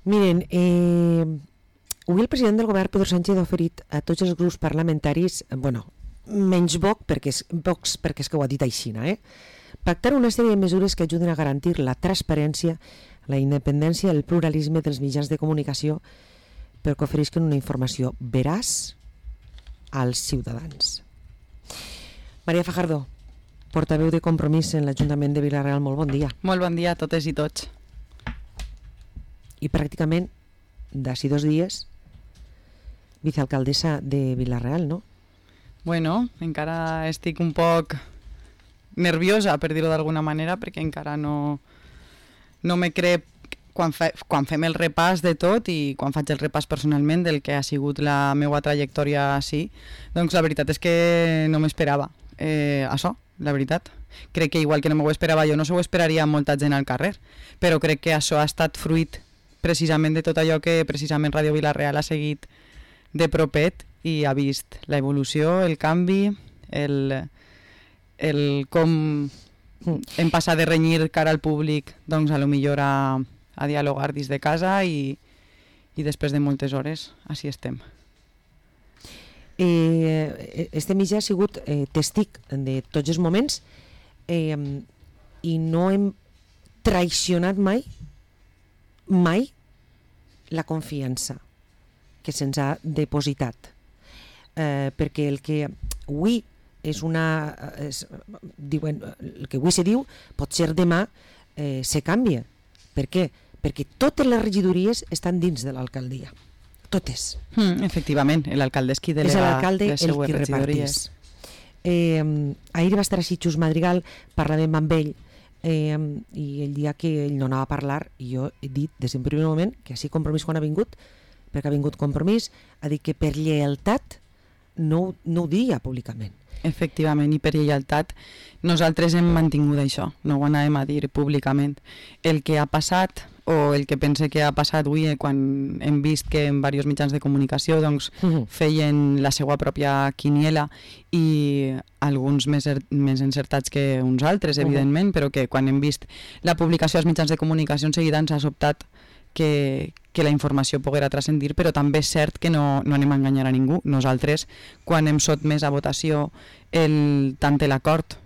Miren, avui el president del govern, Pedro Sánchez, ha oferit a tots els grups parlamentaris, menys Vox perquè és que ho ha dit així, pactar una sèrie de mesures que ajuden a garantir la transparència, la independència i el pluralisme dels mitjans de comunicació perquè oferisquen una informació veraç als ciutadans. Maria Fajardo, portaveu de Compromís en l'Ajuntament de Vila-real, molt bon dia. Molt bon dia a totes i tots. I pràcticament, d'ací 2 dies, vicealcaldessa de Vila-real, no? Bueno, encara estic un poc nerviosa, per dir-ho d'alguna manera, perquè encara no me crec quan fem el repàs de tot i quan faig el repàs personalment del que ha sigut la meva trajectòria així, doncs la veritat és que no m'esperava això, la veritat. Crec que igual que no m'ho esperava jo, no s'ho esperaria molta gent al carrer, però crec que això ha estat fruit precisament de tot allò que precisament Ràdio Vila-real ha seguit de propet i ha vist la evolució, el canvi, el com hem passat de renyir cara al públic doncs a lo millor a dialogar dins de casa i després de moltes hores així estem. Este mitjà ha sigut testig de tots els moments i no hem traicionat mai la confiança que se'ns ha depositat, perquè el que avui diuen, el que avui se diu pot ser demà se canvia. Per què? Perquè totes les regidories estan dins de l'alcaldia, totes. Efectivament, l'alcalde és qui delega és l'alcalde les seues regidories. Ahir va estar així Xus Madrigal, parlàvem amb ell i el dia que ell no anava a parlar, jo he dit des d'un primer moment que així Compromís quan ha vingut, perquè ha vingut Compromís, ha dit que per lleialtat no ho diria públicament. Efectivament, i per lleialtat nosaltres hem mantingut això, no ho anàvem a dir públicament. El que ha passat, o el que pense que ha passat avui quan hem vist que en diversos mitjans de comunicació doncs, feien la seva pròpia quiniela i alguns més encertats que uns altres, evidentment, però que quan hem vist la publicació als mitjans de comunicació en seguida ens ha sobtat que la informació poguera transcendir, però també és cert que no anem a enganyar a ningú. Nosaltres, quan hem sotmès a votació tant l'acord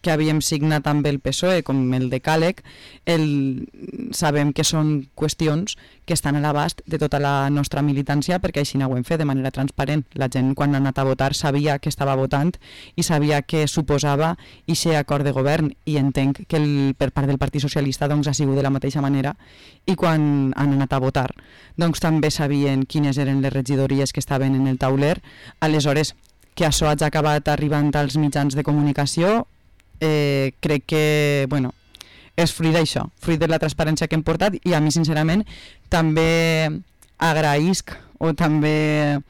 que havíem signat amb el PSOE com el decàleg, sabem que són qüestions que estan a l'abast de tota la nostra militància perquè així ho hem fet de manera transparent. La gent quan ha anat a votar sabia que estava votant i sabia què suposava aquest acord de govern i entenc que per part del Partit Socialista doncs, ha sigut de la mateixa manera i quan han anat a votar doncs, també sabien quines eren les regidories que estaven en el tauler. Aleshores, que això hagi acabat arribant als mitjans de comunicació crec que és fruit d'això, fruit de la transparència que hem portat i a mi sincerament també agraïsc o també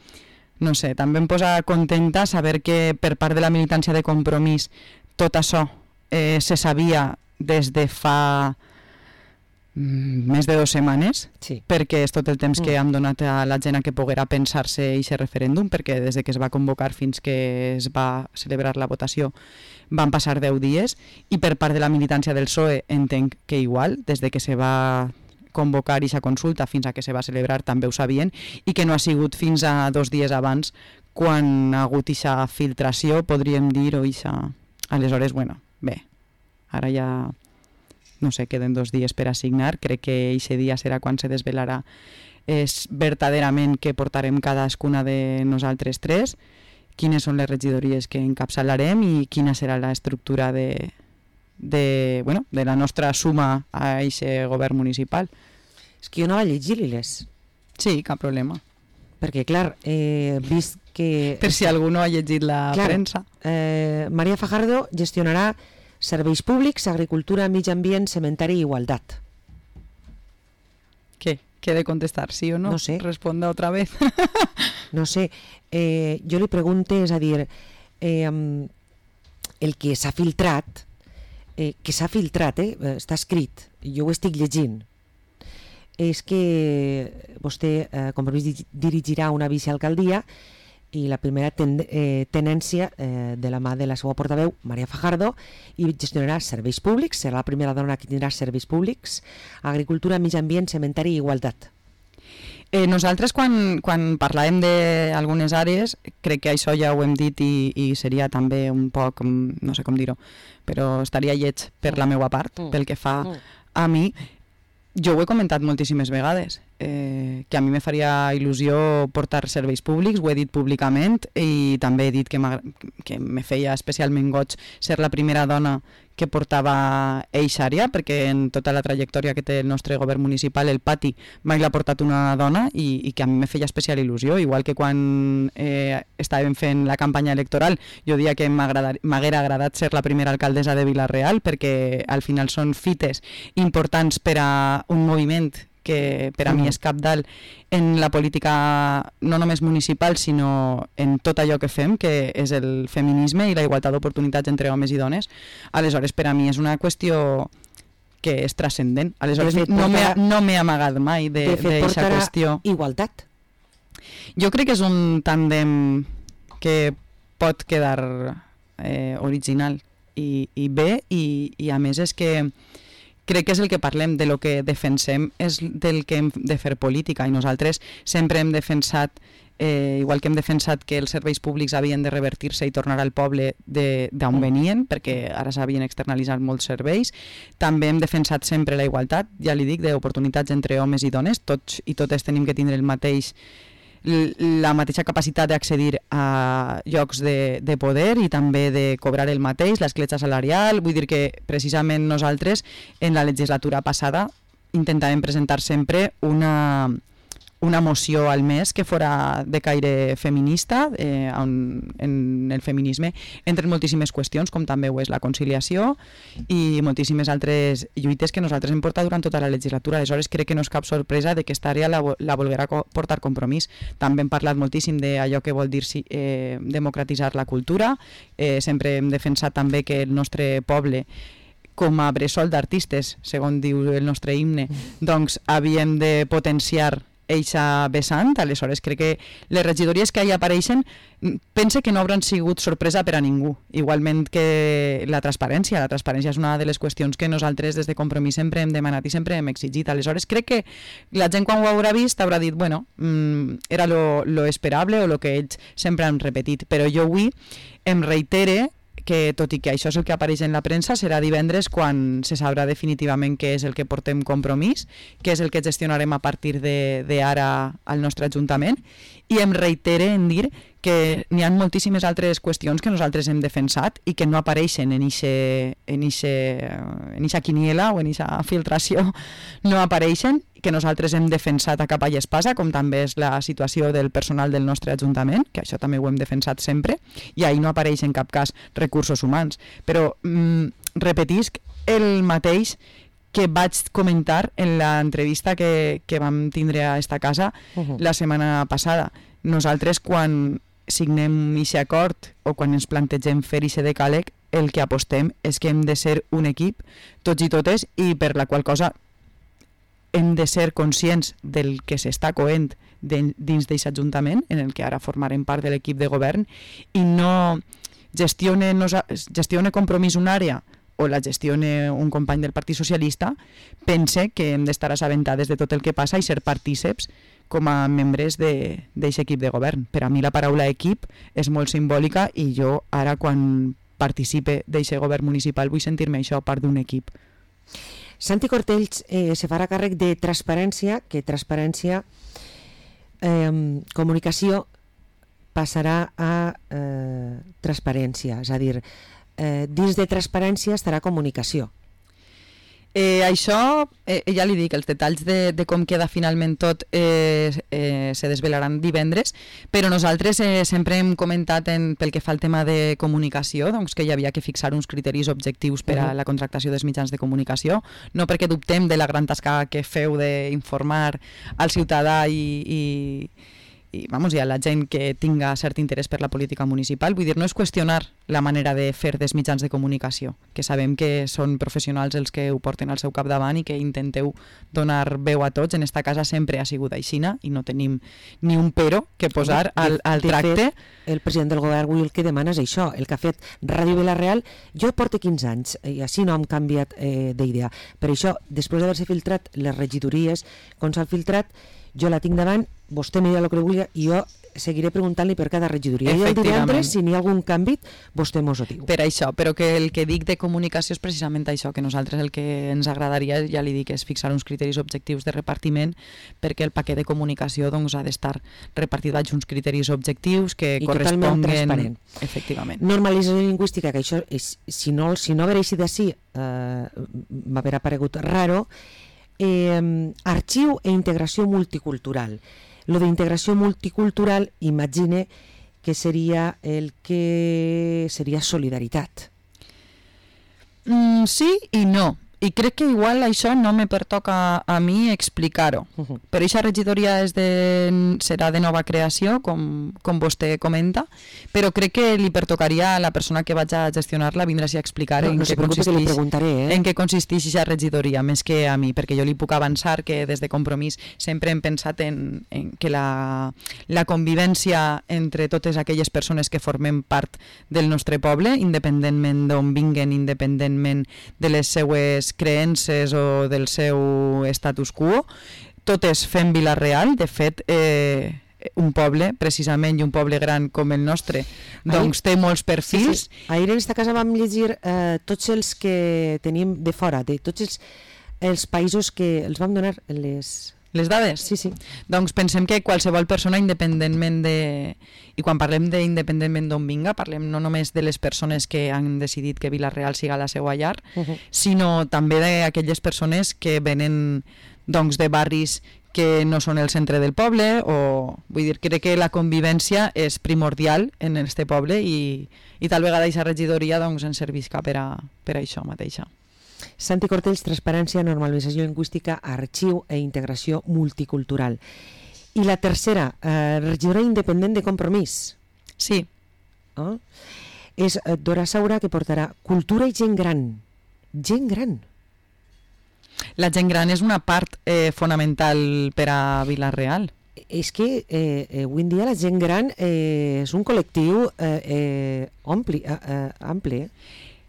també em posa contenta saber que per part de la militància de Compromís tot això se sabia des de fa més de 2 setmanes, sí. Perquè és tot el temps que hem donat a la gent a que poguera pensar-se aquest referèndum, perquè des que es va convocar fins que es va celebrar la votació van passar 10 dies, i per part de la militància del PSOE entenc que igual, des que se va convocar aquesta consulta fins a que se va celebrar també ho sabien, i que no ha sigut fins a 2 dies abans quan ha hagut aquesta filtració, podríem dir, o aquesta... Aleshores, bé, ara ja... no sé, queden 2 dies per assignar, crec que aquest dia serà quan se desvelarà verdaderament que portarem cadascuna de nosaltres 3, quines són les regidories que encapçalarem i quina serà l'estructura de la nostra suma a aquest govern municipal. És que jo no va llegir-les. Sí, cap problema. Perquè, clar, vist que... Per si algú no ha llegit la premsa. Maria Fajardo gestionarà serveis públics, agricultura, mig ambient, cementari i igualtat. Què? Què he de contestar? Sí o no? No sé. Responda otra vez. No sé. Jo li pregunto, és a dir, el que s'ha filtrat, està escrit, jo ho estic llegint, és que vostè, Compromís, dirigirà una vicealcaldia i la primera tenència de la mà de la seva portaveu, Maria Fajardo, i gestionarà serveis públics, serà la primera dona que tindrà serveis públics, agricultura, mig ambient, cementari i igualtat. Nosaltres quan parlàvem d'algunes àrees, crec que això ja ho hem dit i seria també un poc, no sé com dir-ho, però estaria lleig per la meva part, pel que fa a mi. Jo ho he comentat moltíssimes vegades, que a mi me faria il·lusió portar serveis públics, ho he dit públicament i també he dit que me feia especialment goig ser la primera dona que portava eixa àrea, perquè en tota la trajectòria que té el nostre govern municipal, el pati mai l'ha portat una dona i que a mi me feia especial il·lusió, igual que quan estàvem fent la campanya electoral, jo diria que m'haguera agradat ser la primera alcaldessa de Vila-real, perquè al final són fites importants per a un moviment que per a mi és cabdal en la política no només municipal, sinó en tot allò que fem, que és el feminisme i la igualtat d'oportunitats entre homes i dones. Aleshores, per a mi és una qüestió que és transcendent. Aleshores, no m'he amagat mai d'aquesta qüestió. Igualtat. Jo crec que és un tàndem que pot quedar original i bé, i a més és que crec que és el que parlem, de lo que defensem és del que hem de fer política, i nosaltres sempre hem defensat, igual que hem defensat que els serveis públics havien de revertir-se i tornar al poble d'on venien, perquè ara s'havien externalitzat molts serveis, també hem defensat sempre la igualtat, ja li dic, d'oportunitats entre homes i dones, tots i totes tenim que tindre la mateixa capacitat d'accedir a llocs de poder i també de cobrar el mateix, l'escletxa salarial. Vull dir que precisament nosaltres en la legislatura passada intentàvem presentar sempre una moció al mes que fora de caire feminista, en el feminisme entren moltíssimes qüestions, com també ho és la conciliació i moltíssimes altres lluites que nosaltres hem portat durant tota la legislatura. Aleshores crec que no és cap sorpresa de que aquesta àrea la volguera portar Compromís. També hem parlat moltíssim d'allò que vol dir democratitzar la cultura, sempre hem defensat també que el nostre poble, com a bressol d'artistes, segons diu el nostre himne, doncs havíem de potenciar eixa vessant. Aleshores crec que les regidories que hi apareixen pense que no hauran sigut sorpresa per a ningú, igualment que la transparència és una de les qüestions que nosaltres des de Compromís sempre hem demanat i sempre hem exigit. Aleshores crec que la gent quan ho haurà vist haurà dit bueno, era lo esperable o lo que ells sempre han repetit, però jo avui em reitere que tot i que això és el que apareix en la premsa, serà divendres quan se sabrà definitivament què és el que portem Compromís, què és el que gestionarem a partir d'ara al nostre Ajuntament, i em reitere en dir que n'hi ha moltíssimes altres qüestions que nosaltres hem defensat i que no apareixen en eixa quiniela o en eixa filtració, no apareixen, que nosaltres hem defensat a capa i espasa, com també és la situació del personal del nostre Ajuntament, que això també ho hem defensat sempre, i ahir no apareix en cap cas recursos humans. Però repetisc el mateix que vaig comentar en l'entrevista que vam tindre a esta casa la setmana passada. Nosaltres, quan signem aquest acord o quan ens plantegem fer aquest decàleg, el que apostem és que hem de ser un equip, tots i totes, i per la qual cosa hem de ser conscients del que s'està coent dins d'aquest Ajuntament, en el que ara formarem part de l'equip de govern, i no gestione Compromís una àrea o la gestione un company del Partit Socialista, pense que hem d'estar assabentades de tot el que passa i ser partíceps com a membres d'aquest equip de govern. Per a mi la paraula equip és molt simbòlica i jo ara quan participe d'aquest govern municipal vull sentir-me això part d'un equip. Santi Cortells se farà càrrec de transparència, que transparència, comunicació passarà a transparència, és a dir, dins de transparència estarà comunicació. Això, ja li dic, els detalls de com queda finalment tot se desvelaran divendres, però nosaltres sempre hem comentat pel que fa al tema de comunicació, doncs que hi havia que fixar uns criteris objectius per a la contractació dels mitjans de comunicació, no perquè dubtem de la gran tasca que feu d'informar al ciutadà i a la gent que tinga cert interès per la política municipal. Vull dir, no és qüestionar la manera de fer dels mitjans de comunicació, que sabem que són professionals els que ho porten al seu capdavant i que intenteu donar veu a tots. En esta casa sempre ha sigut aixina i no tenim ni un pero que posar al tracte. Fet, el president del govern avui el que demana és això, el que ha fet Ràdio Vila-real. Jo porto 15 anys i així no hem canviat d'idea. Per això, després d'haver-se filtrat les regidories, com s'han filtrat, jo la tinc davant, vostè me dirà el que vulgui i jo seguiré preguntant-li per cada regidoria. I el divendres, si n'hi ha algun canvi, vostè mos ho diu. Per això, però que el que dic de comunicació és precisament això, que nosaltres el que ens agradaria, ja li dic, és fixar uns criteris objectius de repartiment, perquè el paquet de comunicació doncs, ha d'estar repartit baix uns criteris objectius que i corresponguen... transparent. Efectivament. Normalització lingüística, que això, és, si no haver eixit d'ací, m'haver aparegut raro. Arxiu e integració multicultural. Lo d'integració multicultural, imagine que seria el que seria solidaritat. Sí i no. I crec que igual això no me pertoca a mi explicar-ho. Però aquesta regidoria serà de nova creació, com vostè comenta, però crec que li pertocaria a la persona que vaig a gestionar-la vindre a explicar en què consisteix aquesta regidoria, més que a mi, perquè jo li puc avançar que des de Compromís sempre hem pensat en que la convivència entre totes aquelles persones que formem part del nostre poble, independentment d'on vinguen, independentment de les seues creences o del seu status quo, totes fem Vila-real. De fet, un poble, precisament, i un poble gran com el nostre, doncs té molts perfils. Sí. Ahir en aquesta casa vam llegir tots els que tenim de fora, de tots els països que els vam donar les dades? Sí. Doncs pensem que qualsevol persona, independentment de... I quan parlem d'independentment d'on vinga, parlem no només de les persones que han decidit que Vila-real siga la seva llar, sinó també d'aquelles persones que venen doncs, de barris que no són el centre del poble, o vull dir, crec que la convivència és primordial en este poble i tal vegada aquesta regidoria doncs, ens servisca per a això mateixa. Santi Cortells, transparència, normalització lingüística, arxiu e integració multicultural. I la tercera, regidora independent de Compromís. Sí. És Dora Saura, que portarà cultura i gent gran. Gent gran. La gent gran és una part fonamental per a Vila-real. És que avui en dia la gent gran és un col·lectiu ampli.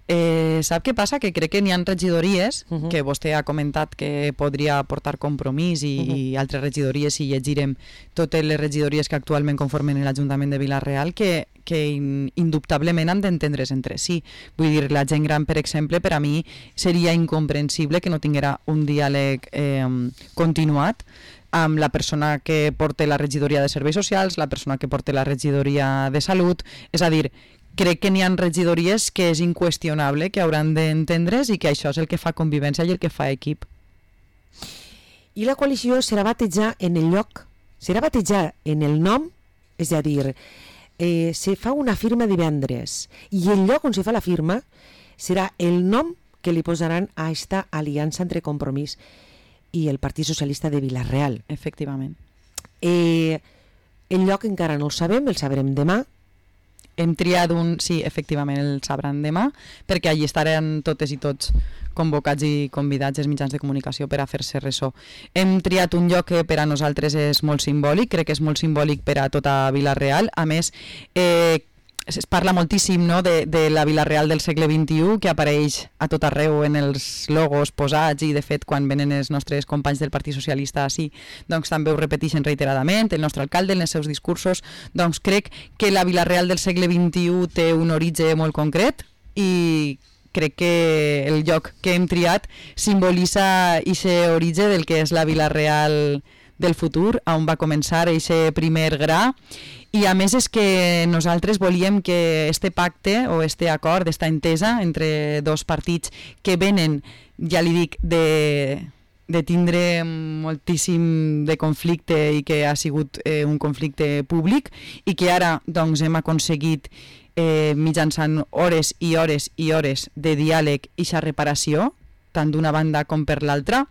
Sap què passa? Que crec que n'hi ha regidories, que vostè ha comentat que podria portar Compromís i altres regidories, si llegirem totes les regidories que actualment conformen l'Ajuntament de Vila-real, que indubtablement han d'entendre's entre si. Vull dir, la gent gran, per exemple, per a mi seria incomprensible que no tinguera un diàleg continuat amb la persona que porta la regidoria de Serveis Socials, la persona que porta la regidoria de Salut. És a dir, crec que n'hi ha regidories que és inqüestionable que hauran d'entendre's i que això és el que fa convivència i el que fa equip. I la coalició serà batejar en el lloc, serà batejar en el nom, és a dir, se fa una firma divendres i el lloc on se fa la firma serà el nom que li posaran a esta aliança entre Compromís i el Partit Socialista de Vila-real. Efectivament. El lloc encara no el sabem, el sabrem demà. Hem triat sí, efectivament el sabran demà, perquè allí estaran totes i tots convocats i convidats els mitjans de comunicació per a fer-se ressò. Hem triat un lloc que per a nosaltres és molt simbòlic, crec que és molt simbòlic per a tota Vila-real. A més, es parla moltíssim, no, de la Vila-real del segle XXI, que apareix a tot arreu en els logos posats i, de fet, quan venen els nostres companys del Partit Socialista així, doncs també ho repeteixen reiteradament, el nostre alcalde en els seus discursos. Doncs crec que la Vila-real del segle XXI té un origen molt concret i crec que el lloc que hem triat simbolitza aquest origen del que és la Vila-real del futur, on va començar aquest primer gra. I a més és que nosaltres volíem que este pacte o este acord, esta entesa entre dos partits que venen, ja li dic, de tindre moltíssim de conflicte i que ha sigut un conflicte públic i que ara doncs, hem aconseguit mitjançant hores i hores i hores de diàleg i reparació, tant d'una banda com per l'altra.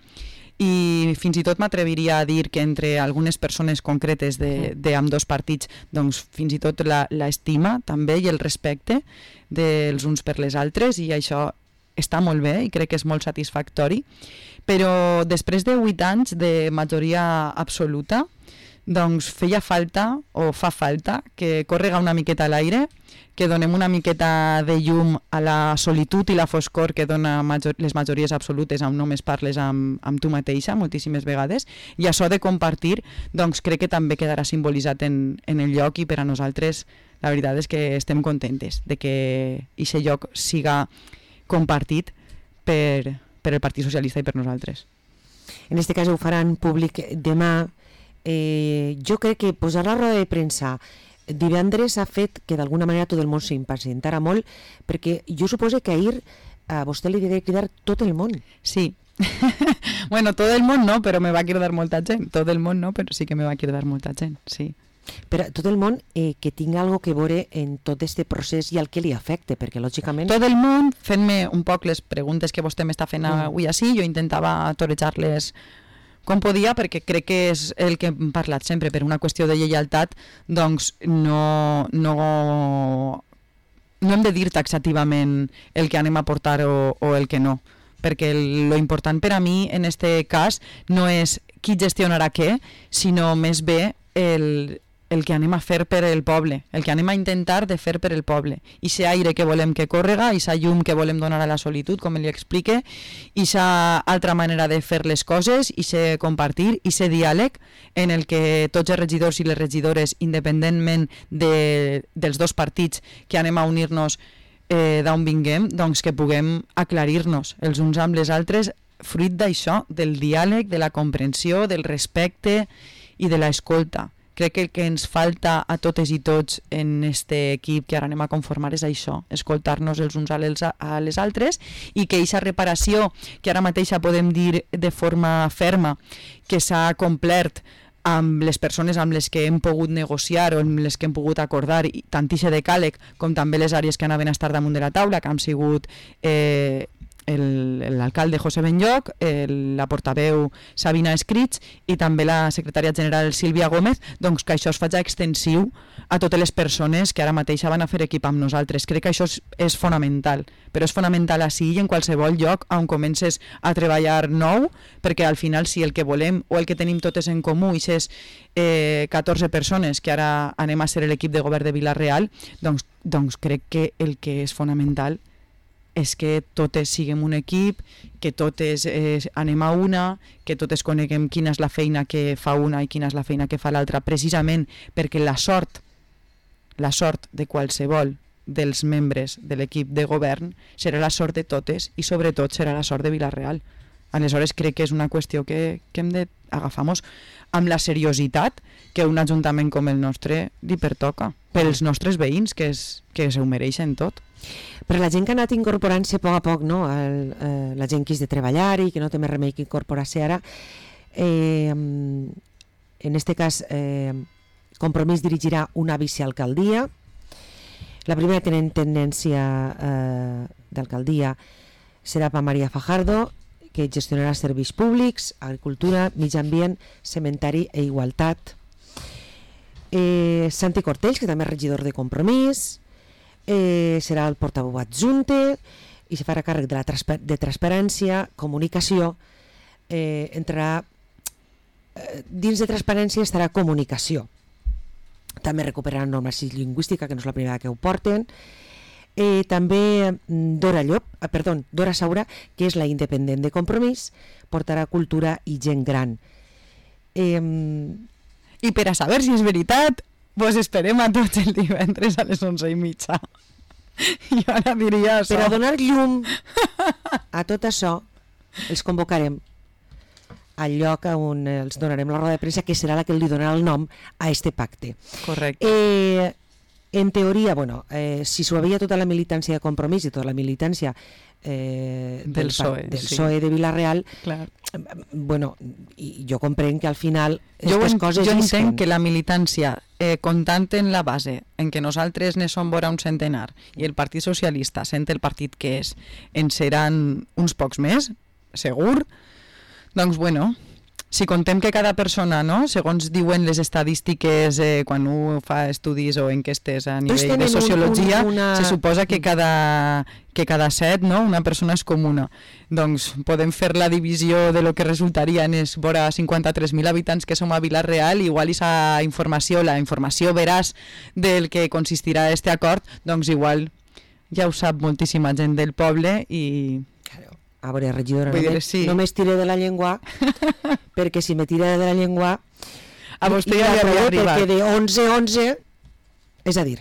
i fins i tot m'atreviria a dir que entre algunes persones concretes d'ambdós partits, doncs fins i tot l'estima també i el respecte dels uns per les altres, i això està molt bé i crec que és molt satisfactori. Però després de 8 anys de majoria absoluta, doncs feia falta, o fa falta, que córrega una miqueta a l'aire, que donem una miqueta de llum a la solitud i la foscor que dona les majories absolutes on només parles amb tu mateixa moltíssimes vegades, i això de compartir doncs crec que també quedarà simbolitzat en el lloc, i per a nosaltres la veritat és que estem contentes de que aquest lloc siga compartit per el Partit Socialista i per nosaltres. En aquest cas ho faran públic demà. Jo crec que posar la roda de premsa divendres ha fet que d'alguna manera tot el món s'impacientara molt, perquè jo suposo que ahir a vostè li devia cridar tot el món. Sí. Bueno, tot el món no, però me va cridar molta gent. Tot el món no, però sí que me va cridar molta gent, sí. Però tot el món que tingui alguna cosa que veure en tot aquest procés i el que li afecte, perquè lògicament... Tot el món, fent-me un poc les preguntes que vostè m'està fent avui així, jo intentava torejar-les com podia, perquè crec que és el que hem parlat sempre, per una qüestió de lleialtat, doncs no hem de dir taxativament el que anem a portar o el que no, perquè lo important per a mi en este cas no és qui gestionarà què, sinó més bé el que anem a fer per el poble, el que anem a intentar de fer per el poble. I aquest aire que volem que córrega, i aquesta llum que volem donar a la solitud, com li explique, i aquesta altra manera de fer les coses, i aquest compartir, i aquest diàleg en el que tots els regidors i les regidores, independentment dels dos partits que anem a unir-nos d'on vinguem, doncs que puguem aclarir-nos els uns amb les altres, fruit d'això, del diàleg, de la comprensió, del respecte i de l'escolta. Crec que el que ens falta a totes i tots en este equip que ara anem a conformar és això, escoltar-nos els uns a les altres, i que aquesta reparació que ara mateixa podem dir de forma ferma que s'ha complert amb les persones amb les que hem pogut negociar o amb les que hem pogut acordar, tant ixe decàleg com també les àrees que anaven a estar damunt de la taula, que han sigut l'alcalde José Benlloch, la portaveu Sabina Escrits i també la secretària general Sílvia Gómez, doncs que això es faci extensiu a totes les persones que ara mateix van a fer equip amb nosaltres. Crec que això és fonamental, però és fonamental així i en qualsevol lloc on comences a treballar nou, perquè al final si el que volem o el que tenim totes en comú i és 14 persones que ara anem a ser l'equip de govern de Vila-real, doncs crec que el que és fonamental és que totes siguem un equip, que totes anem a una, que totes coneguem quina és la feina que fa una i quina és la feina que fa l'altra, precisament perquè la sort de qualsevol dels membres de l'equip de govern serà la sort de totes i sobretot serà la sort de Vila-real. Aleshores crec que és una qüestió que hem d'agafar-nos amb la seriositat que un ajuntament com el nostre li pertoca, pels nostres veïns que s'ho mereixen tot. Per la gent que ha anat incorporant-se a poc, no? La gent que és de treballar i que no té més remei que incorporar-se ara, en aquest cas Compromís dirigirà una vicealcaldia. La primera tenent tendència d'alcaldia serà per Maria Fajardo, que gestionarà serveis públics, agricultura, mitjà ambient, cementari i igualtat. Santi Cortells, que també és regidor de Compromís, serà el portaveu adjunte i se farà càrrec de transparència, comunicació, entrarà dins de transparència estarà comunicació. També recuperaran normació lingüística, que no és la primera que ho porten. També Dora Saura, que és la independent de Compromís, portarà cultura i gent gran. I per a saber si és veritat, vos esperem a tots el divendres a les 11:30. I ara diria això. Per a donar llum a tot això, els convocarem al lloc on els donarem la roda de premsa, que serà la que li donarà el nom a este pacte. Correcte. En teoria, si s'ho havia tota la militància de Compromís i tota la militància del PSOE de Vila-real, jo comprenc que al final aquestes coses jo entenc que la militància, comptant en la base en què nosaltres ne som vora un centenar i el Partit Socialista, sent el partit que és, en seran uns pocs més, segur, Doncs bueno, si contem que cada persona, no, segons diuen les estadístiques quan un fa estudis o enquestes a nivell de sociologia, se suposa que cada 7, no, una persona és comuna. Doncs podem fer la divisió de lo que resultaria en els vora 53.000 habitants que som a Vila-real, igual la informació veraç del que consistirà este acord, doncs igual ja ho sap moltíssima gent del poble i... A veure, regidora, sí. no m'estire de la llengua, perquè si me tira de la llengua... A vostè ja li havia arribat. Perquè de 11, és a dir,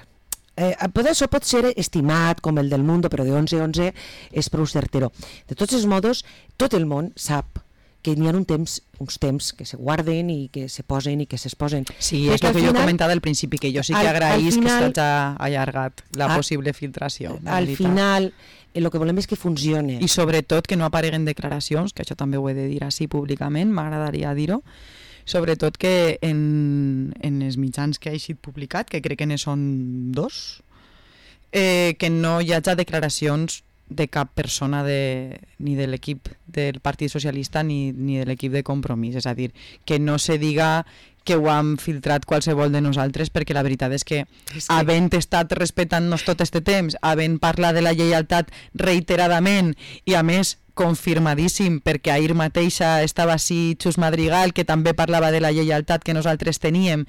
això pot ser estimat com el del Mundo, però de 11 és prou certero. De tots els modos, tot el món sap que n'hi ha uns temps que se guarden i que se posen i que s'exposen. Sí, és el que jo comentava al principi, que jo sí que agraïs que s'hagi allargat la possible filtració. Al final, el que volem és que funcione. I sobretot que no apareguen declaracions, que això també ho he de dir així públicament, m'agradaria dir-ho, sobretot que en els mitjans que ha eixit publicat, que crec que ne són 2, que no hi hagi declaracions de cap persona ni de l'equip del Partit Socialista ni de l'equip de Compromís, és a dir, que no se diga que ho han filtrat qualsevol de nosaltres, perquè la veritat és que havent estat respectant-nos tot este temps, havent parlat de la lleialtat reiteradament i a més confirmadíssim, perquè ahir mateixa estava així Xus Madrigal, que també parlava de la lleialtat que nosaltres teníem.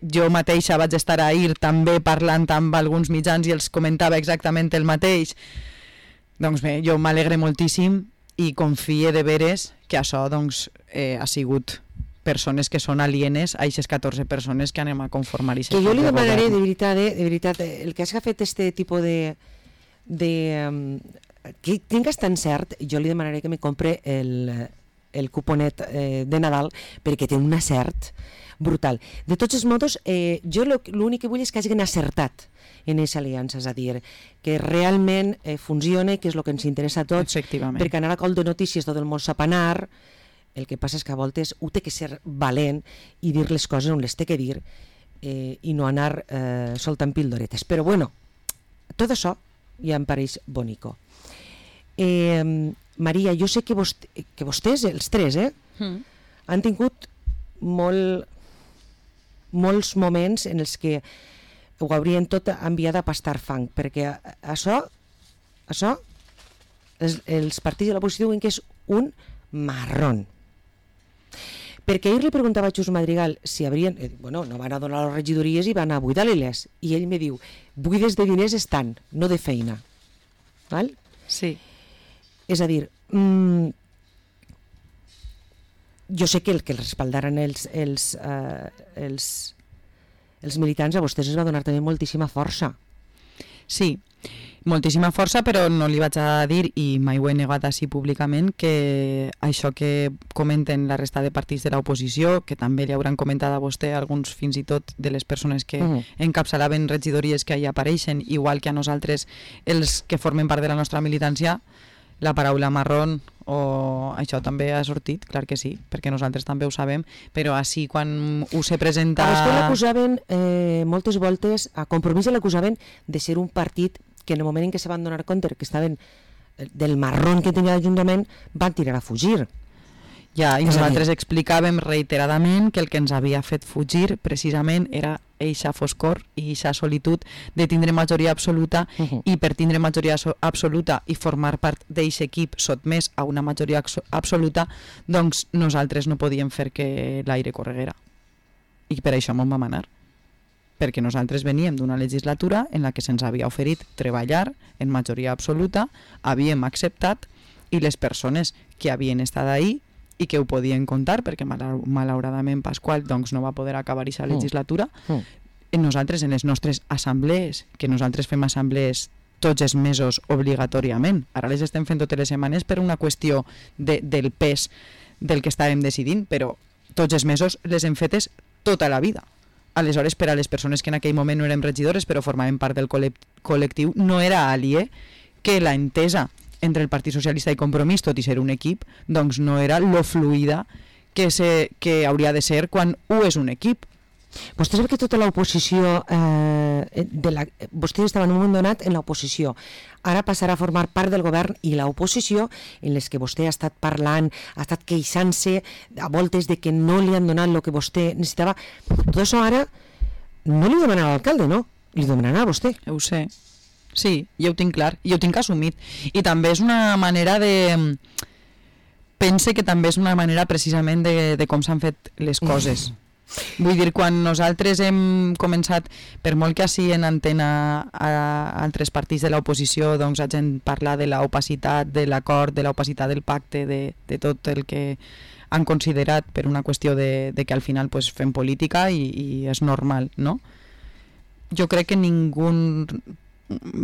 Jo mateixa vaig estar ahir també parlant amb alguns mitjans i els comentava exactament el mateix. Doncs bé, jo m'alegre moltíssim i confie de veres que això doncs, ha sigut persones que són alienes a aquestes 14 persones que anem a conformar. Que jo li demanaré, de veritat, el que has fet este tipus de que tingues tan cert, jo li demanaré que me compre el cuponet de Nadal, perquè té un acert brutal. De tots els modos, jo l'únic que vull és que hagin acertat en aquesta aliança, és a dir, que realment funcione, que és el que ens interessa a tots, perquè anar a col de notícies tot el món sap anar, el que passa és que a voltes ho té que ser valent i dir les coses on les té que dir i no anar soltant pildoretes. Però bueno, tot això ja em pareix bonico. Maria, jo sé que vostès, els tres, han tingut molts moments en els que ho haurien tot enviat a pastar fang, perquè això els partits de l'oposició diuen que és un marrón. Perquè ahir li preguntava a Xus Madrigal si haurien... no van a donar les regidories i van a buidar-les. I ell me diu, buides de diners estan, no de feina. Val? Sí. És a dir, jo sé que el que respaldaran els militants a vostès es va donar també moltíssima força. Sí, moltíssima força, però no li vaig a dir, i mai ho he negat així públicament, que això que comenten la resta de partits de l'oposició, que també li hauran comentat a vostè alguns fins i tot de les persones que encapçalaven regidories que hi apareixen, igual que a nosaltres els que formen part de la nostra militància, la paraula marrón o això també ha sortit, clar que sí, perquè nosaltres també ho sabem, però així quan ho se presenta... A vostè l'acusaven moltes voltes, a Compromís l'acusaven de ser un partit que en el moment en què se van donar compte que estaven del marrón que tenia l'Ajuntament van tirar a fugir. Ja, i nosaltres explicàvem reiteradament que el que ens havia fet fugir precisament era eixa foscor i eixa solitud de tindre majoria absoluta i per tindre majoria absoluta i formar part d'eixe equip sotmès a una majoria absoluta, doncs nosaltres no podíem fer que l'aire correguera. I per això m'ho vam anar. Perquè nosaltres veníem d'una legislatura en la que se'ns havia oferit treballar en majoria absoluta, havíem acceptat i les persones que havien estat ahí i que ho podien contar, perquè malauradament Pasqual doncs, no va poder acabar aquesta legislatura, nosaltres en les nostres assemblees, que nosaltres fem assemblees tots els mesos obligatòriament, ara les estem fent totes les setmanes per una qüestió del pes del que estàvem decidint, però tots els mesos les hem fetes tota la vida. Aleshores, per a les persones que en aquell moment no érem regidores però formaven part del col·lectiu, no era aliè que la entesa entre el Partit Socialista i Compromís, tot i ser un equip, doncs no era lo fluida que hauria de ser quan ho és un equip. Vostè sap que tota l'oposició, vostè estava en un moment donat en l'oposició, ara passarà a formar part del govern, i l'oposició, en les que vostè ha estat parlant, ha estat queixant-se a voltes de que no li han donat el que vostè necessitava, tot això ara no li demanarà a l'alcalde, no? Li demanarà a vostè. Ho sé. Sí, jo ho tinc clar, jo ho tinc assumit. I també és una manera de... Pense que també és una manera precisament de com s'han fet les coses. Vull dir, quan nosaltres hem començat, per molt que així en antena a altres partits de l'oposició, doncs hagin parlat de l'opacitat de l'acord, de l'opacitat del pacte, de tot el que han considerat per una qüestió de que al final pues, fem política i és normal, no? Jo crec que ningú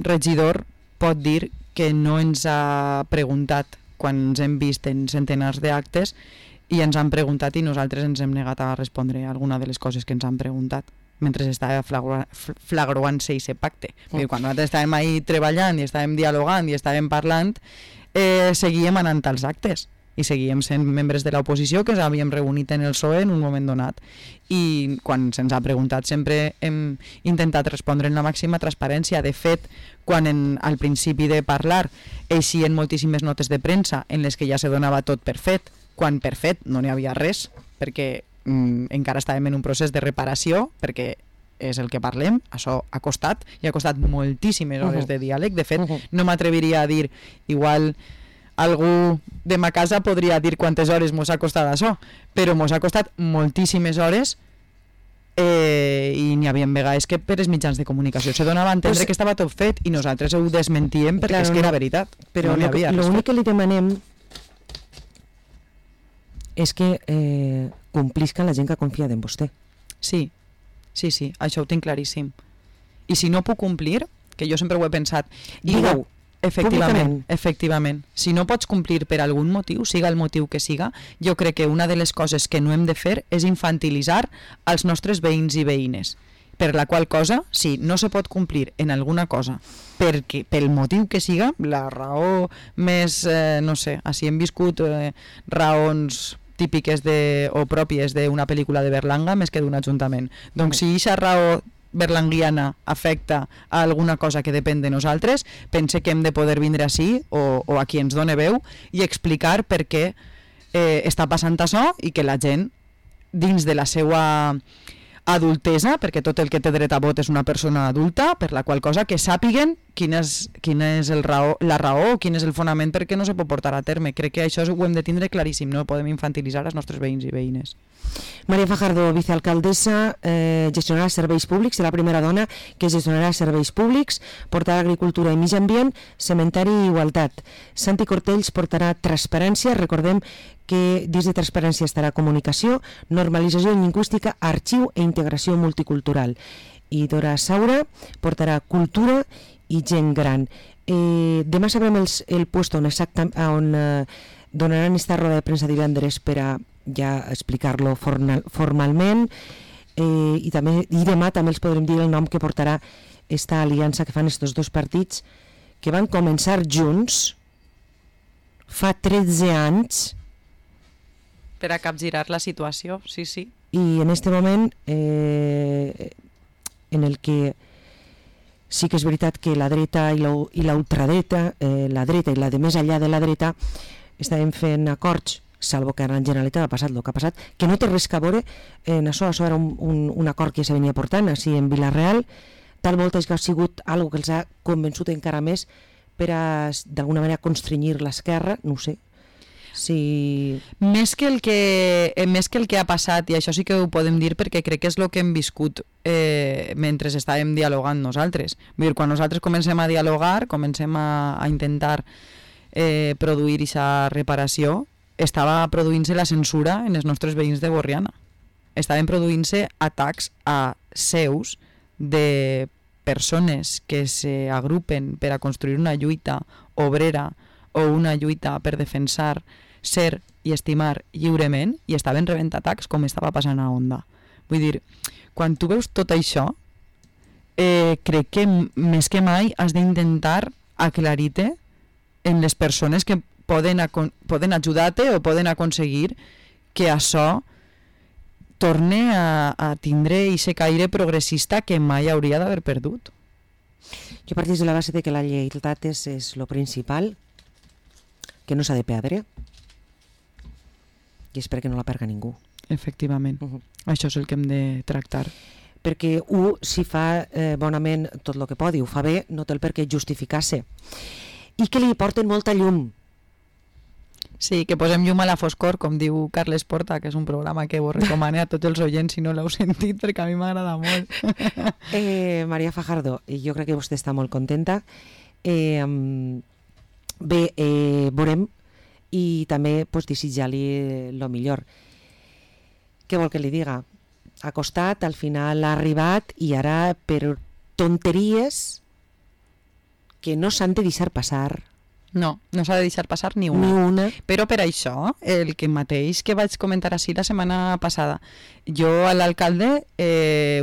regidor pot dir que no ens ha preguntat quan ens hem vist en centenars d'actes i ens han preguntat i nosaltres ens hem negat a respondre a alguna de les coses que ens han preguntat mentre estava flagrant-se aquest pacte. Quan nosaltres estàvem ahí treballant i estàvem dialogant i estàvem parlant, seguíem anant als actes i seguíem sent membres de l'oposició que ens havíem reunit en el PSOE en un moment donat. I quan se'ns ha preguntat sempre hem intentat respondre en la màxima transparència. De fet, quan al principi de parlar eixien moltíssimes notes de premsa en les que ja se donava tot per fet, quan per fet no n'hi havia res, perquè encara estàvem en un procés de reparació, perquè és el que parlem, això ha costat, i ha costat moltíssimes hores de diàleg. De fet, no m'atreviria a dir, igual algú de ma casa podria dir quantes hores mos ha costat això, però mos ha costat moltíssimes hores i n'hi havia vegades que per els mitjans de comunicació se donava a entendre que estava tot fet i nosaltres ho desmentíem perquè és que era veritat. Però l'únic que li demanem és que complisca la gent que ha confiat en vostè. Sí, això ho tinc claríssim. I si no puc complir, que jo sempre ho he pensat... Digue-ho, efectivament. Si no pots complir per algun motiu, siga el motiu que siga, jo crec que una de les coses que no hem de fer és infantilitzar els nostres veïns i veïnes. Per la qual cosa, si no se pot complir en alguna cosa, perquè pel motiu que siga, la raó més, no sé, així hem viscut raons típiques o pròpies d'una pel·lícula de Berlanga més que d'un ajuntament. Doncs si aquesta raó berlanguiana afecta a alguna cosa que depèn de nosaltres, pense que hem de poder vindre així o a qui ens done veu i explicar per què està passant això i que la gent, dins de la seva adultesa, perquè tot el que té dret a vot és una persona adulta, per la qual cosa que sàpiguen quina és la raó o quin és el fonament perquè no se pot portar a terme. Crec que això ho hem de tindre claríssim, no podem infantilitzar els nostres veïns i veïnes. Maria Fajardo, vicealcaldessa, gestionarà serveis públics, serà la primera dona que gestionarà serveis públics, portarà agricultura i mig ambient, cementari i igualtat. Santi Cortells portarà transparència, recordem que dins de transparència estarà comunicació, normalització lingüística, arxiu i integració multicultural. I Dora Saura portarà cultura i gent gran. Demà sabrem el puesto on donaran esta roda de premsa divendres per a ja explicar-lo formalment i demà també els podrem dir el nom que portarà esta aliança que fan estos dos partits que van començar junts fa 13 anys per a capgirar la situació, sí. I en este moment en el que sí que és veritat que la dreta i la ultradreta, la dreta i la de més enllà de la dreta estàvem fent acords, salvo que ara en Generalitat ha passat el que ha passat, que no té res a veure en això era un acord que se venia portant així en Vila-real, tal volta que ha sigut algo que els ha convençut encara més per a d'alguna manera constrenyir l'esquerra, no ho sé. Sí. Més que el que ha passat, i això sí que ho podem dir perquè crec que és el que hem viscut mentre estàvem dialogant nosaltres. Vull dir, quan nosaltres comencem a dialogar, comencem a intentar produir aquesta reparació, estava produint-se la censura en els nostres veïns de Borriana. Estaven produint-se atacs a seus de persones que s'agrupen per a construir una lluita obrera o una lluita per defensar ser i estimar lliurement i estaven rebent atacs com estava passant a Onda. Vull dir, quan tu veus tot això, crec que més que mai has d'intentar aclarir-te en les persones que poden ajudar-te o poden aconseguir que això torne a tindre aquest caire progressista que mai hauria d'haver perdut. Jo partís de la base de que la lleialtat és lo principal, que no s'ha de perdre, i espero que no la perga ningú. Efectivament. Això és el que hem de tractar. Perquè si fa bonament tot el que podi, ho fa bé, no té el per què justificar-se. I que li porten molta llum. Sí, que posem llum a la foscor, com diu Carles Porta, que és un programa que vos recomane a tots els oients si no l'heu sentit, perquè a mi m'agrada molt. Maria Fajardo, jo crec que vostè està molt contenta. Veurem, i també desitjar-li el millor. Què vol que li diga? Ha costat, al final ha arribat, i ara per tonteries que no s'han de deixar passar. No s'ha de deixar passar ni una. Però per això, el que mateix que vaig comentar així la setmana passada, jo a l'alcalde,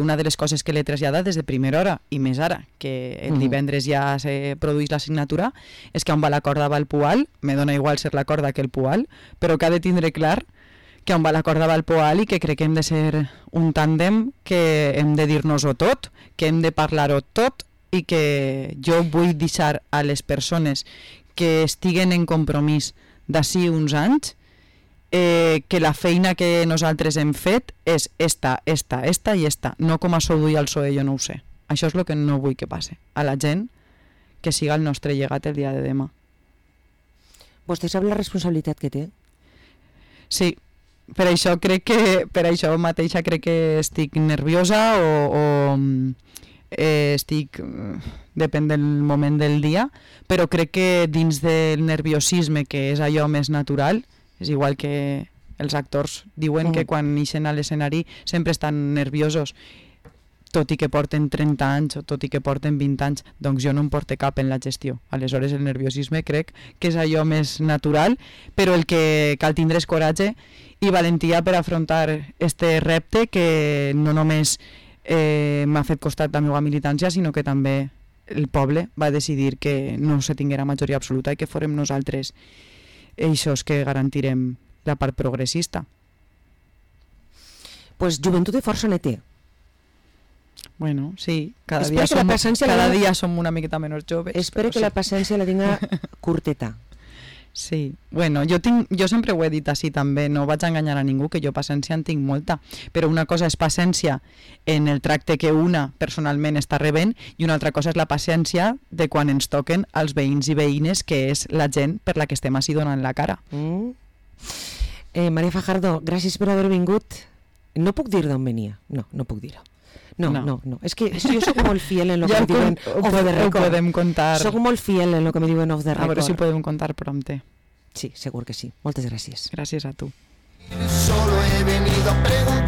una de les coses que l'he traslladat des de primera hora, i més ara, que el divendres ja se produeix la signatura, és que on va la corda va el Pual, me dona igual ser la corda que el Pual, però que ha de tindre clar que on va la corda va el Poal i que crec que hem de ser un tàndem, que hem de dir-nos-ho tot, que hem de parlar-ho tot, i que jo vull deixar a les persones que estiguen en compromís d'ací uns anys que la feina que nosaltres hem fet és esta i esta, no com a sou i al PSOE, jo no ho sé. Això és el que no vull que passe a la gent, que siga el nostre llegat el dia de demà. Vostè sap la responsabilitat que té? Sí, per això mateixa crec que estic nerviosa o estic, depèn del moment del dia, però crec que dins del nerviosisme, que és allò més natural, és igual que els actors diuen que quan ixen a l'escenari sempre estan nerviosos, tot i que porten 30 anys o tot i que porten 20 anys, doncs jo no em porto cap en la gestió. Aleshores el nerviosisme crec que és allò més natural, però el que cal tindre és coratge i valentia per afrontar este repte que no només m'ha fet costat la meva militància, sinó que també el poble va decidir que no se tinguera majoria absoluta i que fórem nosaltres eixos que garantirem la part progressista. Pues joventut i força ne té. Bueno, sí, cada dia som una miqueta menys joves. Espero que la paciència la tinga curteta. Sí, bueno, jo sempre ho he dit així també, no vaig enganyar a ningú, que jo paciència en tinc molta, però una cosa és paciència en el tracte que una personalment està rebent i una altra cosa és la paciència de quan ens toquen els veïns i veïnes, que és la gent per la que estem així donant la cara. Maria Fajardo, gràcies per haver vingut. No puc dir d'on venia, no puc dir-ho. No. És que jo soc molt fiel en el que me diuen off the record. Ho podem contar. Soc molt fiel en el que me diuen off the record. A veure si ho podem contar prompte. Sí, segur que sí. Moltes gràcies. Gràcies a tu. Solo he venido a preguntar.